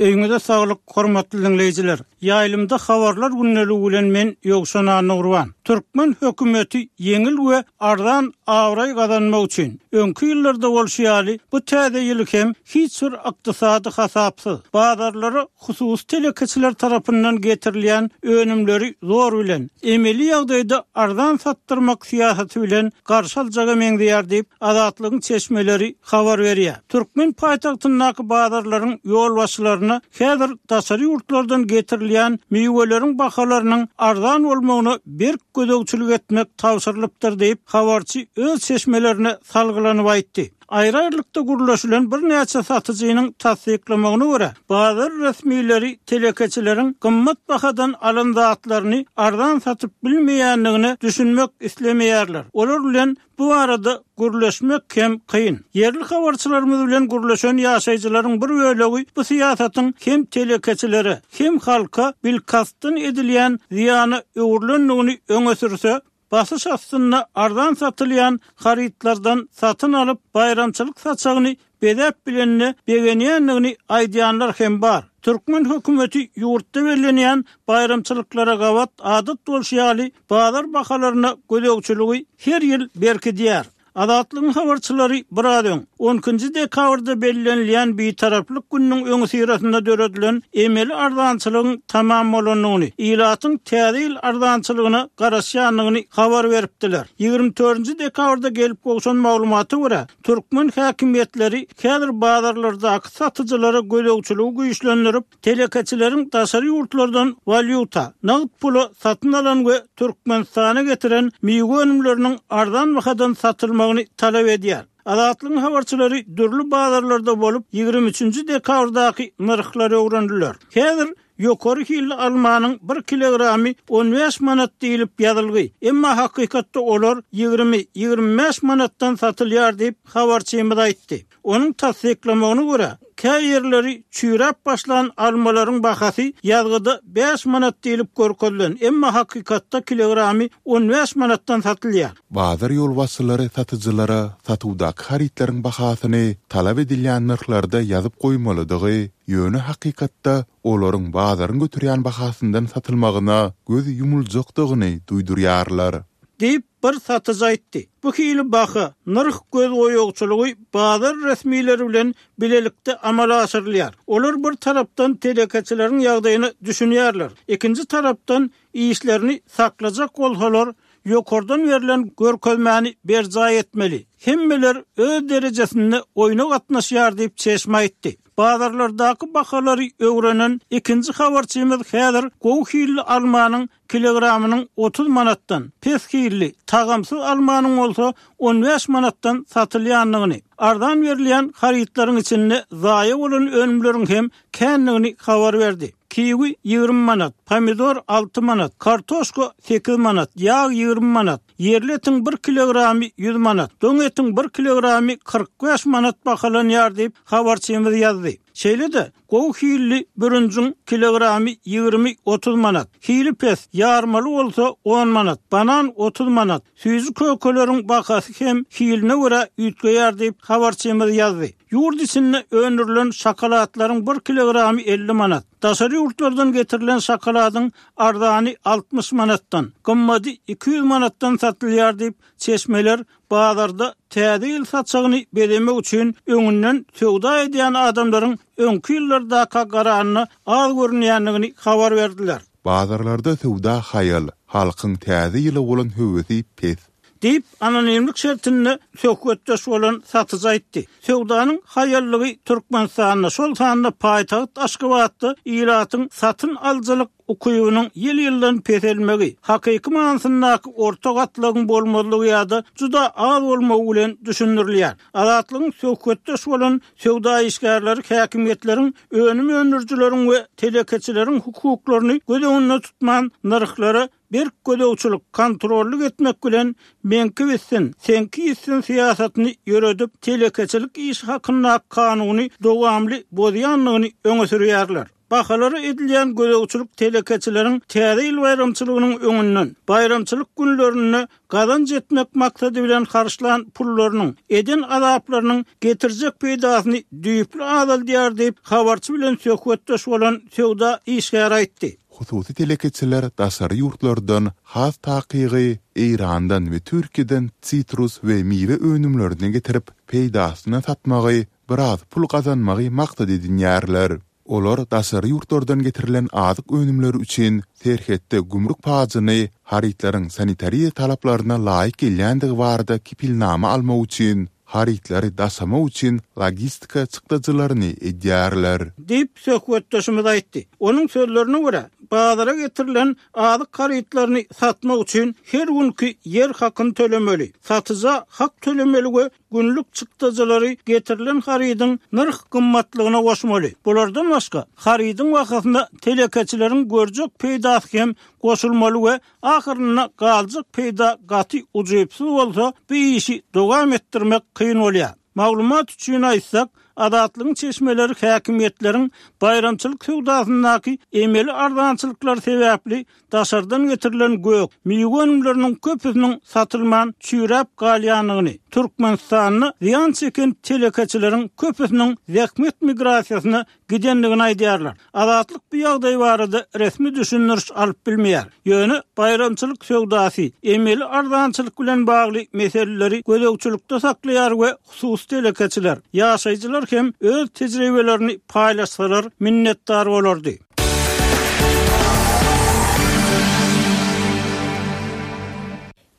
Öýüňize saglyk, hormatly diňleýjiler! Ýaýlymda Habarlar gündeligi bilen men Ýowşan Annagurban. Türkmen hökümeti ýeňil we arzan abraý gazanmak üçin, öňki ýyllarda bolşy ýaly, bu täze ýyly hem hiç bir ykdysady hasapsyz, bazarlara hususy telekeçiler tarapyndan getirilýän önümleri zor bilen, emeli ýagdaýda arzan satdyrmak syýasaty bilen garşy aljaga meňzeýär diýip, Azatlygyň çeşmeleri habar berýär. Türkmen paýtagtyndaky bazarlaryň ýolbaşçylaryna häzir daşary ýurtlardan getirilýän miweleriň bahalarynyň arzan bolmagyna berk gözegçilik etmek tabşyrylypdyr diýip, habarçy öz çeşmelerine salgylanyp aýtdy. Aýry-aýrylykda gürleşilen birnäçe satyjynyň tassyklamagyna görä, bazar resmileri telekeçileriň gymmat bahadan alan zatlaryny arzan satyp bilmeýändigine düşünmek islemeýärler. Olar bilen bu barada gürleşmek hem kyn. Ýerli habarçylarymyz bilen gürleşen ýaşaýjylaryň bir bölegi bu syýasatyň hem telekeçilere, hem halka bilkastdan edilýän zyýana öwrülendigini öňe sürse, Basyş astynda arzan satylýan harytlardan satyn alyp, baýramçylyk saçagyny bezäp bilenine begenýändigini aýdýanlar hem bar. Türkmen hökümeti ýurtda bellenýän baýramçylyklara gabat adat bolşy ýaly bazar bahalaryna gözegçiligi her ýyl berkidýär. Azatlygyň habarçylary biraz öň, on ikinji dekabrda bellenilýän Bitaraplyk gününiň öňüsyrasynda döredilen emeli arzançylygyň tamam bolandygyny, ilatyň Täze ýyl arzançylygyna garaşýandygyny habar beripdiler. Ýigrimi dördünji dekabrda gelip gowşan maglumata görä, türkmen häkimiýetleri häzir bazarlardaky satyjylara gözegçiligi güýçlendirip, Telekeçileriň daşary ýurtlardan walýuta, nagt pula satyn alan we Türkmenistana getiren miwe önümleriniň arzan bahadan satylmagyny talap edýär. Azatlygyň habarçylary dürli bazarlarda bolup, ýigrimi üçünji dekabrdaky nyrhlary öwrendiler. Häzir ýokary hilli almanyň bir kilogramy on bäş manat diýlip ýazylgy, emma hakykatda olar ýigrimi, ýigrimi bäş manatdan satylýar diýip, habarçymyz aýtdy. Onuň tassyklamagyna görä, kä ýerleri çüýräp başlan almalaryň bahasy ýazgyda bäş manat diýlip görkezilen, emma hakykatda kilogramy on bäş manatdan satylýar. Bazar ýolbaşçylary satyjylara satuwdaky harytlaryň bahasyny talap edilýän nyrhlarda ýazyp goýmalydygy, ýöne hakykatda olaryň bazaryň göterýän bahasyndan satylmagyna göz ýumuljakdygyny duýdurýarlar. Diýip, bir satyjy aýtdy. Bu hili baha, nyrh gözboýagçylygy bazar resmileri bilen bilelikde amala aşyrylýar. Olar bir tarapdan telekeçileriň ýagdaýyna düşünýärler, ikinji tarapdan işlerini saklajak bolsalar, ýokardan berlen görkezmäni berjaý etmeli. Hemmeler öz derejesinde oýna gatnaşýar diýip, çeşme aýtdy. Bazarlardaky bahalary öwrenen ikinji habarçymyz häzir gowy hilli almanyň kilogramynyň 30 manatdan, pes hilli, tagamsyz almanyň bolsa on bäş manatdan satylýandygyny, arzan berilýän harytlaryň içinde zaýa bolan önümleriň hem kändigini habar berdi. Kiwi ýigrimi manat, pomidor alty manat, kartoşka sekiz manat, ýag ýigrimi manat, ýerli etiň bir kilogramy ýüz manat, doň etiň bir kilogramy 45 manat bahalanýar diýip, habarçymyz ýazdy. Şeýle-de, Gowy hilli bürünjiň kilogramy ýigrimi, otuz manat, hili pes, ýarmaly bolsa on manat, banan 30 manat, süýji-kökeleriň bahasy hem hiline görä üýtgeýär diýip, habarçymyz ýazdy. Ýurt içinde öndürilen şokoladlaryň bir kilogramy 50 manat, daşary ýurtlardan getirilen şokoladyň arzany 60 manatdan, gymmady 200 manatdan satylýar diýip, çeşmeler Bazarda Täze ýyl saçagyny bezemek üçin öňünden söwda edýän adamlaryň öňki ýyllardaka garanda az görünýändigini habar berdiler. Bazarlarda söwda haýal, halkyň Täze ýyla bolan höwesi pes. Diýip, anonimlik şertinde söhbetdeş bolan satyjy aýtdy. Söwdanyň haýallygy Türkmenistanda, şol sanda paýtagt Aşgabatda ilatyň satyn alyjylyk ukybynyň ýyl-ýyldan peselmegi, hakyky manysyndaky orta gatlagyň bolmazlygy ýa-da juda az bolmagy bilen düşündirilýär. Azatlygyň söhbetdeş bolan söwda işgärleri häkimiýetleriň önüm öndürijileriň we telekeçileriň hukuklaryny göz öňünde tutman nyrhlara berk gözegçilik, kontrollyk etmek bilen meňki bitsin, seňki ýitsin syýasatyny ýöredip, telekeçilik işi hakyndaky kanuny dowamly bozýandygyny öňe sürýärler. Bahalara edilýän gözegçilik telekeçileriň Täze ýyl baýramçylygynyň öňünden, baýramçylyk günlerinde gazanç etmek maksady bilen harçlan pullarynyň, eden azaplarynyň getirjek peýdasyny düýpli azaldýar diýip, habarçy bilen söhbetdeş bolan söwda işgäri aýtdy. Hususy telekeçiler daşary ýurtlardan, has takygy, Eýrandan we Türkiýeden sitrus we miwe önümlerini getirip, peýdasyna satmagy biraz pul gazanmagy maksat edinýärler. Olar daşary ýurtlardan getirilen azyk önümleri üçin serhetde gümrük pajyny harytlaryň sanitariýa talaplaryna laýyk gelýändigi barada kepilnama almak üçin, harytlary daşamak üçin logistika çykdajylaryny edýärler. Diýip, söhbetdeşimiz aýtdy. Onuň sözlerine görä, bazara getirilen azyk harytlaryny satmak üçin her günki ýer hakyny tölemeli, satyja hak tölemeli we günlük çykdajylary getirilen harydyň nyrh gymmatlygyna goşmaly. Bulardan başga, harydyň bahasyna telekeçileriň görjek peýdasy hem goşulmaly we ahyrynda galjak peýda gaty ujypsyz bolsa, bu işi dowam etdirmek kyn bolýar. Maglumat üçin aýtsak, Azatlygyň çeşmeleri häkimiýetleriň baýramçylyk söwdasyndaky emeli arzançylyklar sebäpli daşardan getirilen gök, miwe önümleriniň köpüsiniň satylman çüýräp galýandygyny, Türkmenistanda zyýan çeken telekeçileriň köpüsiniň zähmet migrasiýasyna gidendigini aýdýarlar. Azatlyk bu ýagdaý barada resmi düşündiriş alyp bilmeýär. Ýöne baýramçylyk söwdasy, emeli arzançylyk bilen bagly meseleleri gözegçilikde saklaýar we hususy telekeçiler, ýaşaýjylar hem öz tejribelerini paýlaşsalar minnetdar bolardy.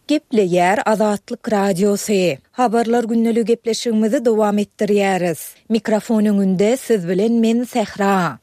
Gepleýär Azatlyk Radiosy. Habarlar gündeligi gepleşigimizi dowam etdirýäris. Mikrofon öňünde siz bilen men Sähra.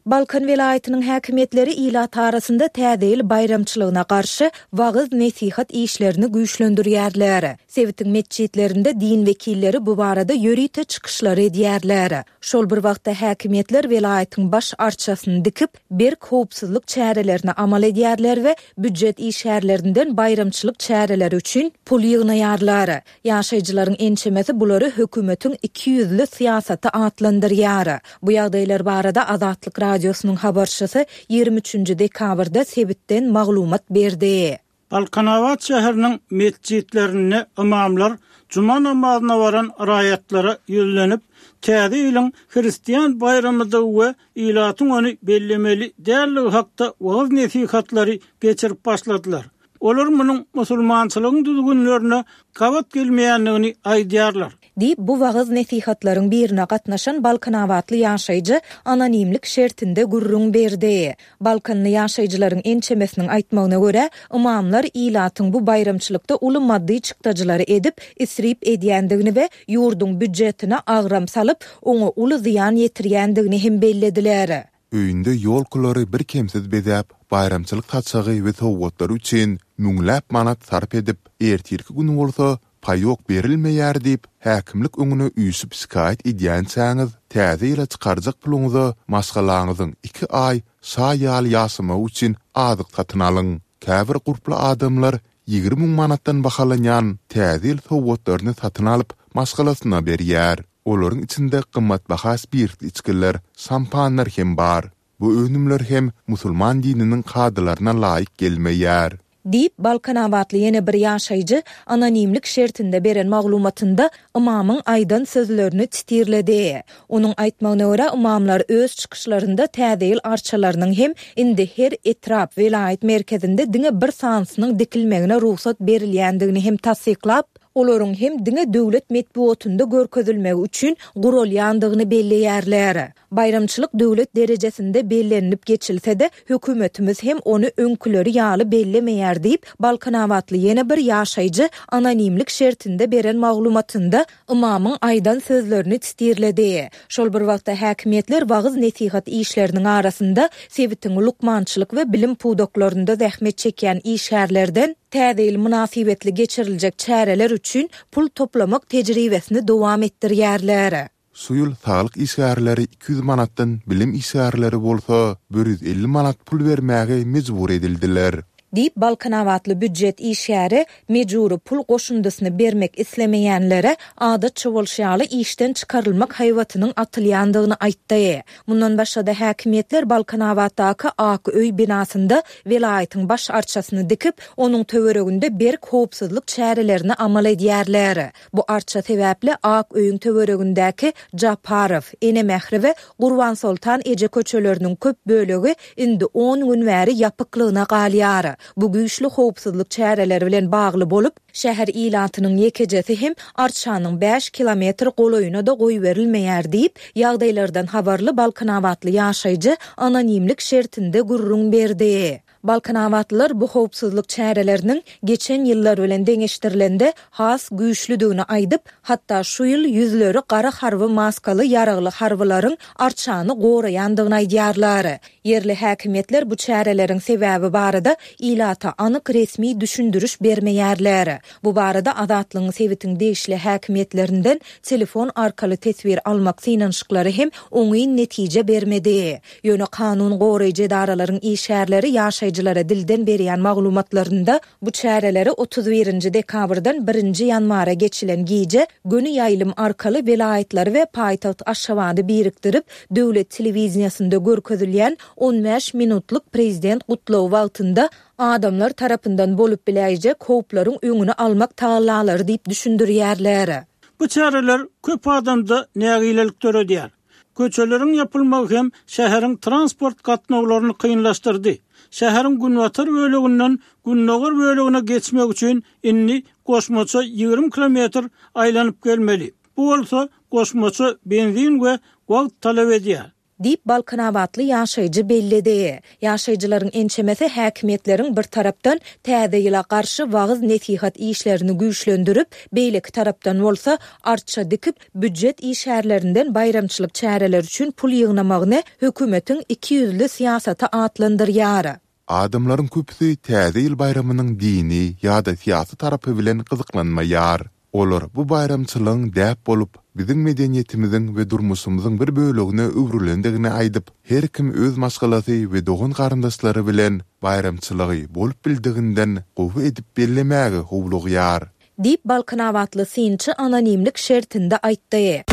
Balkan welaýatynyň häkimiýetleri ilat arasynda Täze ýyl baýramçylygyna garşy wagyz-nesihat işlerini güýçlendirýärler. Sebitiň metjitlerinde din wekilleri bu barada ýörite çykyşlar edýärler. Şol bir wagtda häkimiýetler welaýatyň baş arçasyny dikip, berk howpsuzlyk çärelerini amal edýärler we býujet işgärlerinden baýramçylyk çäreleri üçin pul ýygnaýarlar. Ýaşaýjylaryň ençemesi bulary hökümetiň ikiýüzli syýasaty atlandyrýar. Bu ýagdaýlar barada Azatlyk Radiosynyň habarçysy 23-nji dekabrda sebitden maglumat berdi. Balkanabat şäheriniň metjitlerinde ymamlar juma namazyna baran raýatlara ýüzlenip, Täze ýylyň hristian baýramydygy we ilatyň ony bellemeli däldigi hakda wagyz-nesihatlary geçirip başladylar. Olar munuň musulmançylygyň düzgünlerine gabat gelmeýändigini aýdýarlar. Diýip, bu wagyz-nesihatlaryň birine gatnaşan balkanabatly ýaşaýjy anonimlik şertinde gürrüň berdi. Balkanly ýaşaýjylaryň ençemesiniň aýtmagyna görä, ymamlar ilatyň bu baýramçylykda uly maddy çykdajylary edip, isrip edýändigini we ýurduň býujetine agram salyp, oňa uly zyýan ýetirýändigini hem bellediler. Öýünde ýolkalary birkemsiz bezäp, baýramçylyk saçagy we sowgatlary üçin müňläp manat sarp edip, ertirki gün bolsa paýok berilmeýär diýip, häkimlik öňüne üýşüp şikaýat edýänçäňiz, täze ýyla çykarjak puluňyza maşgalaňyzyň iki aý şa ýaly ýaşamagy üçin azyk satyn alyň. Käbir gurply adamlar 20 müň manatdan bahalanýan täze ýyl sowgatlaryny satyn alyp, maşgalasyna berýär. Olaryň içinde gymmatbaha spirtli içgiler, şampanlar hem bar. Bu önümler hem musulman dininiň kadalaryna laýyk gelmeýär. Diýip, balkanabatly ýene bir ýaşaýjy anonimlik şertinde beren maglumatynda ymamyň aýdan sözlerini titirledi. Onuň aýtmagyna görä, ymamlar öz çykyşlarynda Täze ýyl arçalarynyň hem indi her etrap, welaýat merkezinde diňe bir sanysynyň dikilmegine rugsat berilýändigini hem tassyklap, olaryň hem diňe döwlet metbugatynda görkezilmegi üçin guralýandygyny belleýärler. Baýramçylyk döwlet derejesinde bellenilip geçilse-de, hökümetimiz hem ony öňküleri ýaly bellemeýär diýip, balkanabatly ýene bir ýaşaýjy anonimlik şertinde beren maglumatynda ymamyň aýdan sözlerini titirledi. Şol bir wagtda häkimiýetler wagyz-nesihat işleriniň arasynda sebitiň lukmançylyk we bilim pudaklarynda zähmet çekýän işgärlerden Täze ýyl mynasybetli geçiriljek çäreler üçin pul toplamak tejribesini dowam etdirýärler. Şu ýyl saglyk işgärleri 200 manatdan, bilim işgärleri bolsa 150 manat pul bermäge mejbur edildiler. Diýip, balkanabatly býujet işgäri mejbury pul goşundysyny bermek islemeýänlere adatça bolşy ýaly işden çykarylmak haýbatynyň atylýandygyny aýtdy. Mundan başga-da häkimiýetler Balkanabatdaky Ak öý binasynda welaýatyň baş arçasyny dikip, onuň töwereginde berk howpsuzlyk çärelerini amal edýärler. Bu arça sebäpli Ak öýüň töweregindäki Japarow, Ene Mähri we Gurbansoltan eje köçeleriniň köp bölegi indi on gün bäri ýapyklygyna galýar. Bu güýçli howpsuzlyk çäreleri bilen bagly bolup, şäher ilatynyň ýekejesi hem arçanyň bäş kilometr golaýyna-da goýberilmeýär diýip, ýagdaýlardan habarly balkanabatly ýaşaýjy anonimlik şertinde gürrüň berdi. Balkanabatlylar bu howpsuzlyk çäreleriniň geçen ýyllar bilen deňeşdirilende has güýçlüdigini aýdyp, hatda şu ýyl ýüzleri gara harby maskaly ýaragly harbylaryň arçany goraýandygyny aýdýarlar. Ýerli häkimiýetler bu çäreleriň sebäbi barada ilata anyk resmi düşündiriş bermeýärler. Bu barada Azatlygyň sebitiň degişli häkimiýetlerinden telefon arkaly teswir almak synanyşyklary hem oňyn netije bermedi. Ýöne kanun goraýjy edaralaryň işgärleri ýaşaýjylara dilden berýän maglumatlarynda bu çäreleri 31 nji dekabrdan birinji ýanwara geçilen gije göni ýaýlym arkaly welaýatlary we paýtagt Aşgabady birikdirip döwlet telewideniýesinde görkezilýän 15 minutlyk prezident gutlagy wagtynda adamlar tarapyndan bolup biläýjek howplaryň öňüni almak tagallalary diýip düşündirýärler. Bu çäreler köp adamda nägilelik döredýär. Köçeleriň ýapylmagy hem şäheriň transport gatnawlaryny kynlaşdyrdy. Şäheriň günbatar böleginden gündogar bölegine geçmek üçin indi goşmaça 20 kilometr aýlanyp gelmeli. Bu bolsa goşmaça benzin we wagt talap edýär. Diýip, balkanabatly ýaşaýjy belledi. Ýaşaýjylaryň ençemesi häkimiýetleriň bir tarapdan Täze ýyla garşy wagyz-nesihat işlerini güýçlendirip, beýleki tarapdan bolsa arça dikip, býujet işgärlerinden baýramçylyk çäreleri üçin pul ýygnamagyny hökümetiň ikiýüzli syýasaty atlandyrýar. Adamlaryň köpüsi Täze ýyl baýramynyň dini ýa-da syýasy tarapy bilen gyzyklanmaýar. Olar bu baýramçylygyň däp bolup, biziň medeniýetimiziň we durmuşymyzyň bir bölegine öwrülendigini aýdyp, her kim öz maşgalasy we dogan-garyndaşlary bilen baýramçylygy bolup bildiginden gowy edip bellemäge howlugýar. Diýip, balkanabatly synçy anonimlik şertinde aýtdy.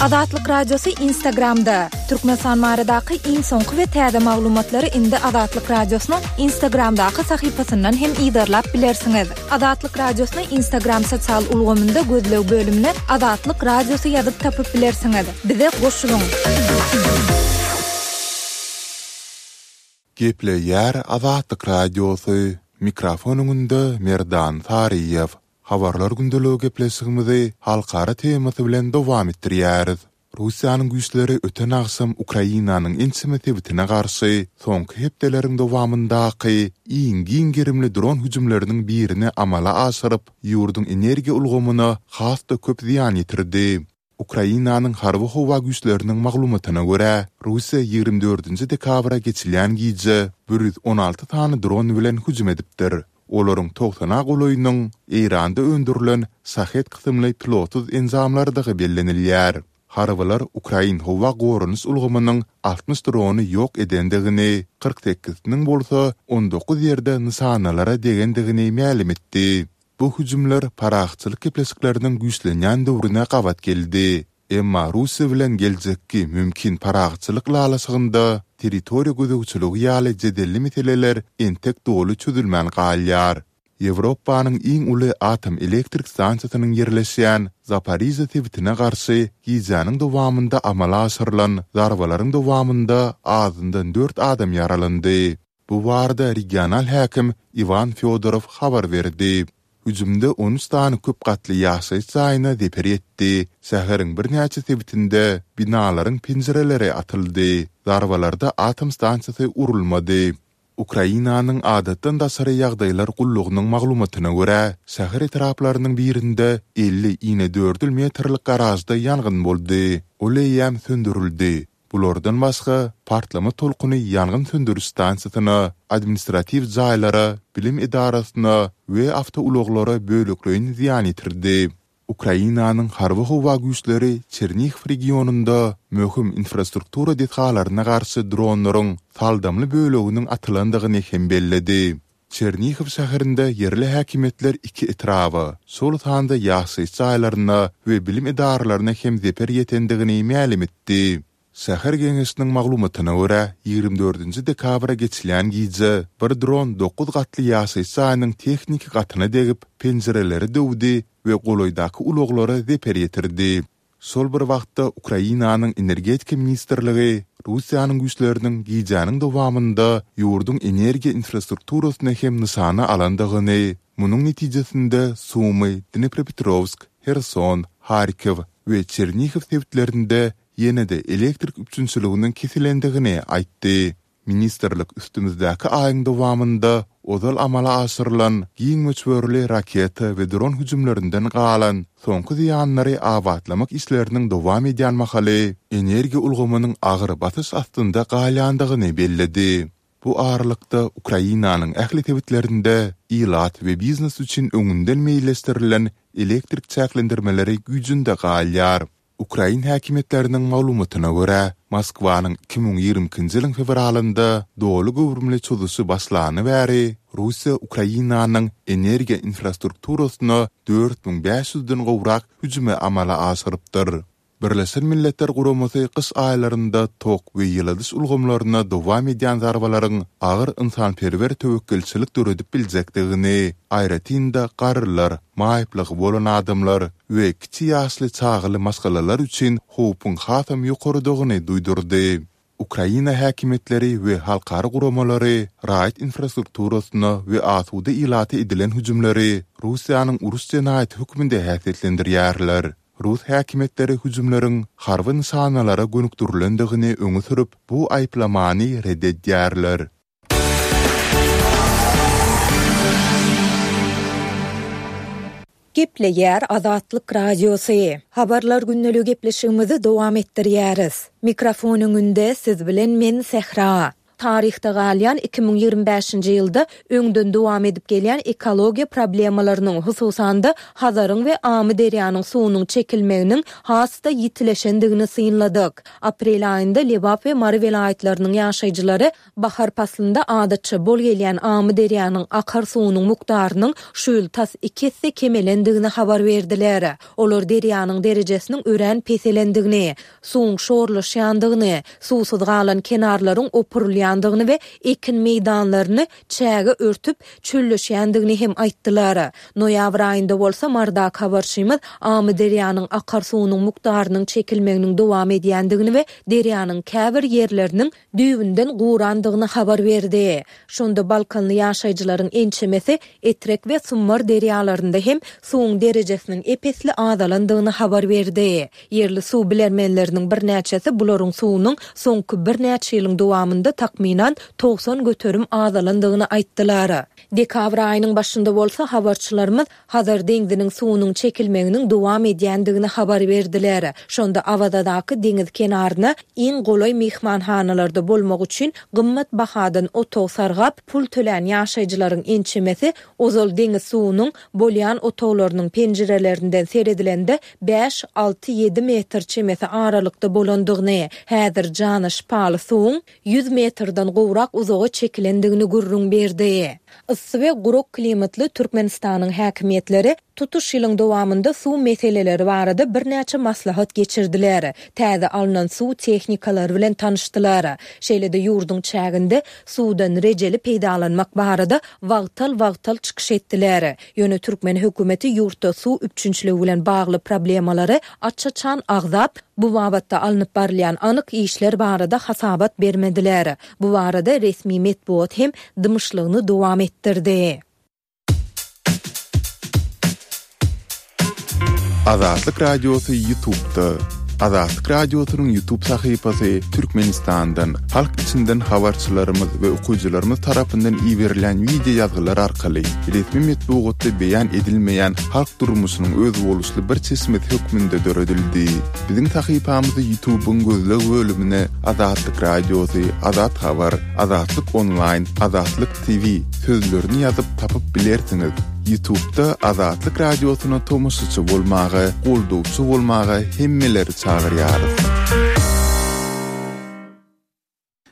Azatlyk Radiosy Instagramda, Türkmenistan baradaky iň soňky we täze maglumatlary indi Azatlyk Radiosynyň Instagramdaky sahypasyndan hem yzarlap bilersiňiz. Azatlyk Radiosyny Instagram sosial ulgamynda gözleg bölümine Azatlyk Radiosy ýazyp tapyp bilersiňiz. Bize goşulyň! Gepleýär Azatlyk Radiosy, mikrofon öňünde Merdan Saryýew. Habarlar gündeligi gepleşigimizi halkara temasy bilen dowam etdirýäris. Russiýanyň güýçleri öten agşam Ukrainanyň ençeme sebitine garşy soňky hepdeleriň dowamyndaky iň giň gerimli dron hüjümleriniň birini amala aşyryp, ýurduň energiýa ulgamyna has-da köp zyýan ýetirdi. Ukrainanyň Harby-howa güýçleriniň maglumatyna görä, Russiýa 24 dekabra geçilýän gije 116 sany dron bilen hüjüm edipdir. Olaryň togsana golaýynyň Eýranda öndürilen Şahed kysymly pilotsyz enjamlardygy bellenilýär. Harbylar ukrain howa goranyş ulgamynyň 60 drony ýok edendigini, 48-siniň bolsa 19 ýerde nyşanalara degendigini mälim etdi. Bu hüjümler parahatçylyk gepleşikleriniň güýçlenýän döwrüne gabat geldi. Emma Russiýa bilen geljekki mümkin parahatçylyk ylalaşygynda territoriýa gözegçiligi ýaly jedelli meseleler entek doly çözülmän galýar. Ýewropanyň iň uly atom elektrik stansiýasynyň ýerleşýän Zaporižýa sebitine garşy gijäniň dowamynda amala aşyrylan zarbalaryň dowamynda azyndan dört adam ýaralandy. Bu barada regional häkim Iwan Fýodorow habar berdi. Hüjümde 13 sany köp gatly ýaşaýyş jaýyna zeper ýetdi, şäheriň birnäçe sebitinde binalaryň penjireleri atyldy. Zarbalarda atom stansiýasy urulmady. Ukrainanyň Adatdan daşary ýagdaýlar gullugynyň maglumatyna görä, şäher etraplarynyň birinde 50 inedördül metrlik garažda ýangyn boldy. Ol eýýäm söndürildi. Bulardan başga, partlama tolkuny ýangyn söndüriş stansiýasyna, administratiw jaýlara, bilim edarasyna we awtoulaglara bölekleýin zyýan ýetirdi. Ukrainanyň Harby-howa güýçleri Çernihiw regionynda möhüm infrastruktura desgalaryna garşy dronlaryň saldamly böleginiň atylandygyny hem belledi. Çernihiw şäherinde ýerli häkimiýetler iki etraba, şol sanda ýaşaýyş jaýlaryna we bilim edaralaryna hem zeper ýetendigini mälim etdi. Şäher geňeşiniň maglumatyna görä, 24 dekabra geçilýän gije bir dron dokuz gatly ýaşaýyş jaýynyň tehniki gatyna degip, penjireleri döwdi we golaýdaky ulaglara zeper ýetirdi. Şol bir wagtda, Ukrainanyň Energetika ministrligi Russiýanyň güýçleriniň gijäniň dowamynda ýurduň energiýa infrastrukturasyny hem nyşana alandygyny, munuň netijesinde Sumy, Dnepropetrowsk, Herson, Harkow we Çernihiw sebitlerinde ýene-de elektrik üpjünçiliginiň kesilendigini aýtdy. Ministrlik üstümizdäki aýyň dowamynda ozal amala aşyrylan giň möçberli raketa we dron hüjümlerinden galan soňky zyýanlary abatlamak işleriniň dowam edýän mahaly energiýa ulgamynyň agyr basyş astynda galýandygyny belledi. Bu aralykda, Ukrainanyň ähli sebitlerinde ilat we biznes üçin öňünden meýilleşdirilen elektrik çäklendirmeleri güýjünde galýar. Ukrain häkimiýetleriniň maglumatyna görä, Moskwanyň 2022-nji ýylyň fewralynda doly göwrümli çozuşy başlany bäri, Russiýa Ukrainanyň energiýa infrastrukturasyna 4500 den gowrak hüjümi amala aşyrypdyr. Birleşen Milletler Guramasy gyş aýlarynda tok we ýyladyş ulgamlaryna dowam edýän zarbalaryň agyr ynsanperwer töwekgelçilik döredip biljekdigini, aýratyn-da garrylar, maýyplygy bolan adamlar we kiçi ýaşly çagaly maşgalalar üçin howpuň hasam ýokarydygyny duýdurdy. Ukraina häkimiýetleri we halkara guramalary raýat infrastrukturasyna we asuda ilata edilen hüjümleri Russiýanyň uruş jenaýaty hökmünde häsiýetlendirýärler. Rus häkimiýetleri hüjümleriň harby nyşanalara gönükdirilendigini öňe sürüp, bu aýyplamany ret edýärler. Gepleýär Azatlyk Radiosy. Habarlar gündeligi gepleşigimizi dowam etdirýäris. Mikrofon öňünde siz bilen men Sähra. Taryhda galýan 2025-nji ýylda öňden dowam edip gelýän ekologiýa problemalarynyň, hususan-da, Hazaryň we Amyderýanyň suwunyň çekilmeginiň has-da ýitileşendigini synladyk. Aprel aýynda Lebap we Mary welaýatlarynyň ýaşaýjylary Bahar paslynda adatça bol gelýän Amyderýanyň akar suwunyň mukdarynyň şu ýyl tas iki esse kemelendigini habar berdiler. Olar derýanyň derejesiniň örän peselendigini, suwuň şorlaşýandygyny, suwsuz galan kenarlaryň opurylýandygyny we ekin meýdanlaryny çäge örtüp, çölleşýändigini hem aýtdylar. Noýabr aýynda bolsa Marydaky habarçymyz Amyderýanyň akar suwunyň mukdarynyň çekilmeginiň dowam edýändigini we derýanyň käbir ýerleriniň düýbünden gurandygyny habar berdi. Şonda balkanly ýaşaýjylaryň ençemesi Etrek we Sumbar derýalarynda hem suwuň derejesiniň ep-esli azalandygyny habar berdi. Ýerli suw bilermenleriniň birnäçesi bularyň suwunyň soňky birnäçe ýylyň dowamynda takmynan 90% azalandygyny aýtdylar. Dekabr aýynyň başynda bolsa habarçylarymyz Hazar deňziniň suwunyň çekilmeginiň dowam edýändigini habar berdiler. Şonda Awazadaky deňiz kenaryna iň golaý myhmanhanalarda bolmak üçin gymmat bahadan otag sargap, pul tölän ýaşaýjylaryň ençemesi ozal deňiz suwunyň bolýan otaglarynyň penjirelerinden seredilende bäş, alty, ýedi metr çemesi aralykda bolandygyny, häzir jana şypaly suwuň 100 metrden gowrak uzaga çekilendigini gürrüň berdi. Yssy we gurak klimatly Türkmenistanyň häkimiýetleri tutuş ýylyň dowamynda suw meseleleri barada birnäçe maslahat geçirdiler, täze alnan suw tehnikalary bilen tanyşdylar. Şeýle-de ýurduň çäginde suwdan rejeli peýdalanmak barada wagtal-wagtal çykyş etdiler. Ýöne türkmen hökümeti ýurtda suw üpjünçiligi bilen bagly problemalary aç-açan agzap, bu babatda alnyp barylýan anyk işler barada hasabat bermediler. Bu barada resmi metbugat hem dymyşlygyny dowam etdirdi. Azatlyk Radiosy Ýutubda. Azatlyk Radiosynyň Ýutub sahypasy Türkmenistandan, halk içinden habarçylarymyz we okyjylarymyz tarapyndan iberilen wideo ýazgylar arkaly resmi metbugatda beýan edilmeýän halk durmuşynyň özboluşly bir çeşmesi hökmünde döredildi. Biziň sahypamyzy Ýutubyň gözleg bölümine Azatlyk Radiosy, Azat Habar, Azatlyk Onlaýn, Azatlyk TV sözlerini ýazyp tapyp bilersiňiz. Ýutubda Azatlyk Radiosyna tomaşaçy bolmaga, goldawçy bolmaga hemmeleri çagyrýarys.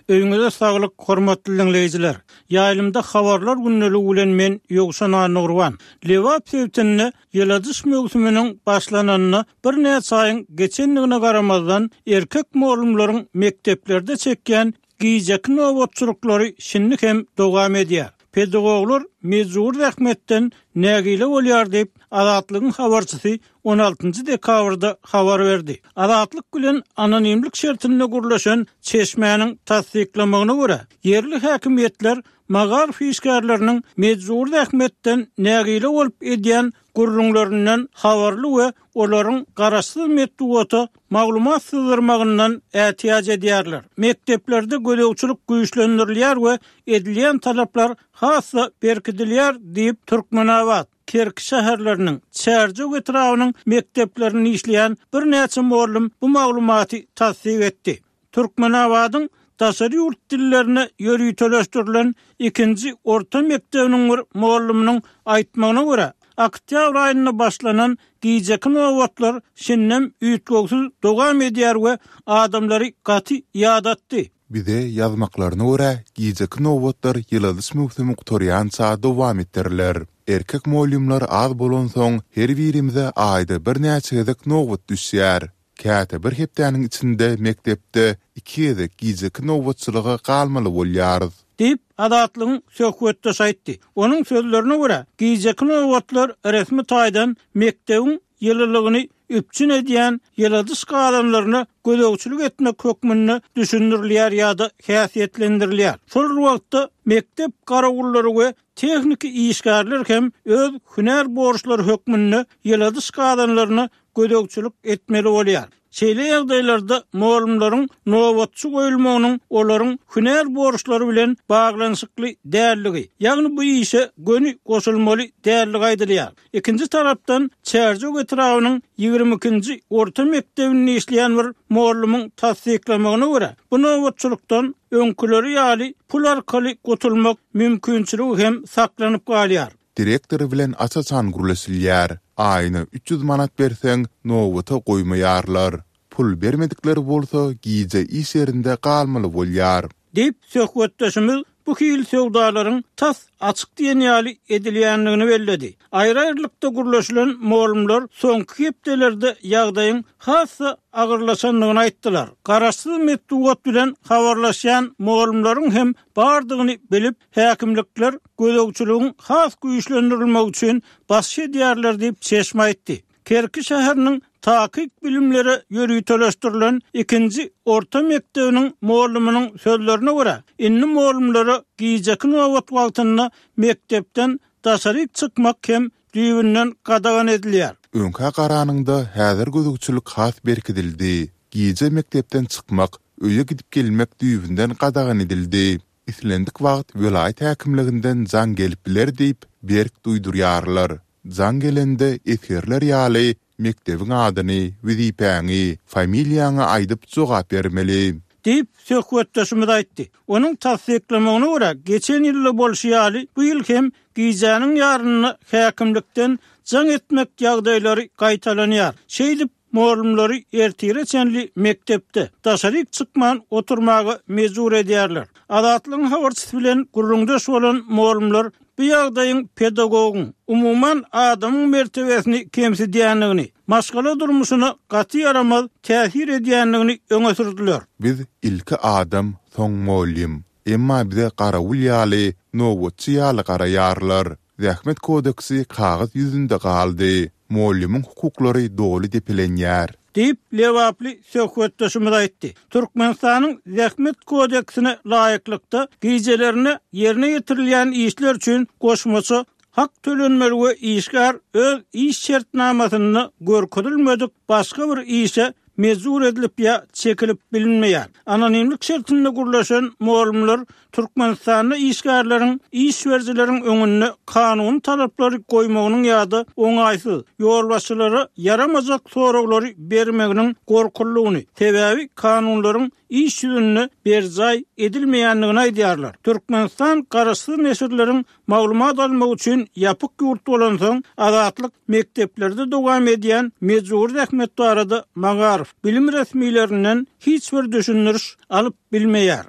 Öýüňize saglyk hormatly diňleýjiler! Ýaýlymda habarlar gündeligi bilen men Ýowşan Annagurban. Lebap sebitinde ýyladyş möwsüminiň başlananyna birnäçe aýyň geçendigine garamazdan, erkek mugallymlaryň mekdeplerde çekýän gijeki nobatçylyklary şindi hem dowam edýär. Pedagoglar mejbury zähmetden nägile bolýar diýip, Azatlygyň habarçysy on altynjy dekabrda habar berdi. Azatlyk bilen anonimlik şertinde gürleşen çeşmäniň tassyklamagyna görä, ýerli häkimiýetler magaryf işgärleriniň mejbury zähmetden nägile bolup edýän gürrüňlerinden habarly we olaryň garaşsyz metbugata maglumat syzdyrmagyndan ätiýaç edýärler. Mekdeplerde gözegçilik güýçlendirilýär we edilýän talaplar has-da berkidilýär diýip, Türkmenabat, Kerki şäherleriniň, Çärjew etrabynyň mekdeplerinde işleýän birnäçe mugallym bu maglumaty tassyk etdi. Türkmenabadyň daşary ýurt dillerine ýöriteleşdirilen ikinji orta mekdebiniň bir mugallymynyň aýtmagyna görä, oktýabr aýynda başlanan gijeki nobatlar şindem üýtgewsiz dowam edýär we adamlary gaty ýadatdy. Bize ýazmaklaryna görä, gijeki nobatlar ýyladyş möwsümi gutarýança dowam etdiriler. Erkek mugallymlar az bolansoň, her birimize aýda birnäçe gezek nobat düşýär. Käte bir hepdäniň içinde mekdepde iki gezek gijeki nobatçylyga galmaly bolýarys. Diýip, Azatlygyň söhbetdeşi aýtdy. Onuň sözlerine görä, gijeki nobatlar resmi taýdan mekdebiň ýylylygyny üpjün edýän ýyladyş gazanlaryna gözegçilik etmek hökmünde düşündirilýär ýa-da häsiýetlendirilýär. Şol bir wagtda, mekdep garawullary we tehniki işgärler hem öz hünär borçlary hökmünde ýyladyş gazanlaryna gözegçilik etmeli bolýar. Şeýle ýagdaýlarda mugallymlaryň nobatçy goýulmagynyň olaryň hünär borçlary bilen baglanyşykly däldigi, ýagny bu işe göni goşulmaly däldigi aýdylýar. Ikinji tarapdan, Çärjew etrabynyň 22-nji orta mekdebinde işleýän bir mugallymyň tassyklamagyna görä, bu nobatçylykdan öňküleri ýaly pul arkaly gutulmak mümkinçiligi hem saklanyp galýar. Direktor bilen aç-açan gürleşilýär. Aýyna 300 manat berseň, nobata goýmaýarlar. Pul bermedikler bolsa gije iş ýerinde galmaly bolýar. Diýip, söhbetdeşimiz bu hili söwdalaryň tas açyk diýen ýaly edilýändigini belledi. Aýry-aýrylykda gürleşilen mugallymlar soňky hepdelerde ýagdaýyň has-da agyrlaşandygyny aýtdylar. Garaşsyz metbugat bilen habarlaşýan mugallymlaryň hem bardygyny bilip, häkimlikler gözegçiligiň has güýçlendirilmegi üçin basyş edýärler diýip, çeşme aýtdy. Kerki şäheriniň takyk bilimlere ýöriteleşdirilen ikinji orta mekdebiniň mugallymynyň sözlerine görä, indi mugallymlara gijeki nobat wagtynda mekdepden daşaryk çykmak hem düýbünden gadagan edilýär. Öňkä garanyňda häzir gözegçilik has berkidildi. Gije mekdepden çykmak, öýe gidip-gelmek düýbünden gadagan edildi. Islendik wagt welaýat häkimliginden jaň gelip biler diýip, berk duýdurýarlar. Jaň gelende esgerler ýaly mekdebiň adyny, wezipäňi, familiýaňy aýdyp jogap bermeli. Diýip, söhbetdeşimiz aýtdy. Onuň tassyklamagyna görä, geçen ýylda bolşy ýaly, bu ýyl hem gijäniň ýarynda häkimlikden jaň etmek ýagdaýlary gaýtalanýar. Şeýdip, Mugallymlary ertire çenli mekdepde, daşaryk çykman oturmaga mejbur edýärler. Azatlygyň habarçysy bilen gürrüňdeş bolan mugallymlar bu ýagdaýyň pedagogyň, umuman, adamyň mertebesini kemsidýändigini, maşgala durmuşyna gaty ýaramaz täsir edýändigini öňe sürdüler. Biz ilki adam, soň mugallym. Emma bize garawul ýaly, nobatçy ýaly garaýarlar. Zähmet kodeksi kagyz ýüzünde galdy. Mugallymyň hukuklary doly depelenýär. Diýip, lebaply söhbetdeşimiz aýtdy. Türkmenistanyň Zähmet kodeksine laýyklykda, gijelerine ýerine ýetirilýän işler üçin goşmaça hak tölenmeli we işgär öz iş şertnamasynda görkezilmedik başga bir işe. mejbur edilip ýa çekilip bilinmeýär. Anonimlik şertinde gürleşen mugallymlar Türkmenistanda işgärleriň iş berijileriň öňünde kanuny talaplary goýmagynyň ýa-da oňaýsyz, ýolbaşçylara ýaramajak soraglary bermeginiň gorkulydygyny, sebäbi kanunlaryň iş ýüzünde berjaý edilmeýändigini aýdýarlar. Türkmenistan garaşsyz neşirleriň maglumat almak üçin ýapyk ýurt bolansoň, Azatlyk mekdeplerde dowam edýän mejbury zähmet barada magaryf, bilim resmilerinden hiç bir düşündiriş alyp bilmeýär.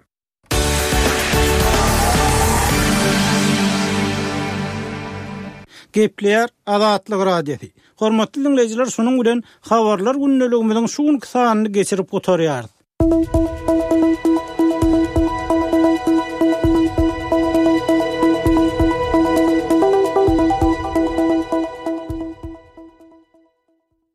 Gepleýär Azatlyk Radiosy. Hormatly diňleýjiler şunuň bilen Habarlar gündeligimiziň şu günki sanyny geçirip gutarýarys.